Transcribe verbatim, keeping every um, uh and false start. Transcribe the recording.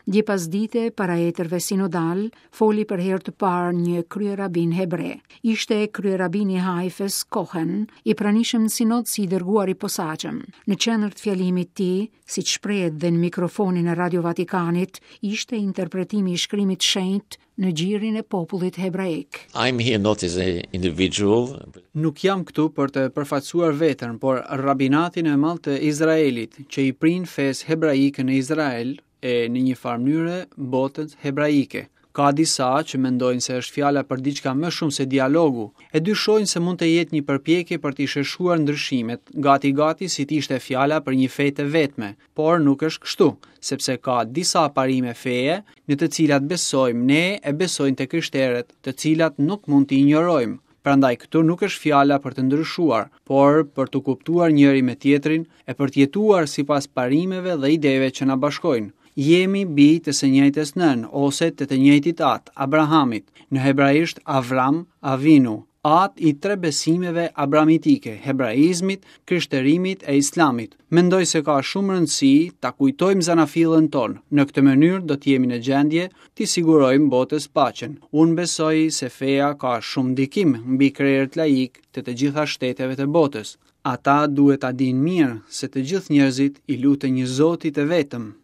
Dje pasdite, para etërve sinodal, foli për herë të parë një kryerabin hebre. Ishte kryerabini i Haifës, Cohen, i pranishëm në sinod si i dërguar i posaçëm. Në qendër të fjalimit të tij, siç shprehet dhe në mikrofonin e Radio Vatikanit, ishte interpretimi i shkrimit shenjt në gjirin e popullit hebraik. I'm here not as an individual. Nuk jam këtu për të përfaqësuar veten, por rabinatin e madh të Izraelit, që i prin fesë hebraike në Izrael e në një farë mënyre botës hebraike. Ka disa që mendojnë se është fjala për diçka më shumë se dialogu, e dyshojnë se mund të jetë një përpjekje për t'i sheshuar ndryshimet, gati-gati si të ishte fjala për një fe të vetme, por nuk është kështu, sepse ka disa parime feje në të cilat besojmë ne e besojnë të krishterët, të cilat nuk mund t'i injorojmë. Prandaj këtu nuk është fjala për të ndryshuar, por për të kuptuar njëri me tjetrin e për të jetuar sipas parimeve dhe ideve që na bashkojnë. Jemi bij të së njëjtës nënë ose të të njëjtit atë, Abrahamit, në hebraisht Avram Avinu, atë i tre besimeve abrahamitike, hebraizmit, krishterimit e islamit. Mendoj se ka shumë rëndësi ta kujtojmë zanafillën tonë. Në këtë mënyrë do të jemi në gjendje t'i sigurojmë botës paqen. Unë besoj se feja ka shumë ndikim mbi krerët laik të të gjitha shteteve të botës. Ata duhet ta dinë mirë se të gjithë njerëzit i luten një Zoti të vetëm.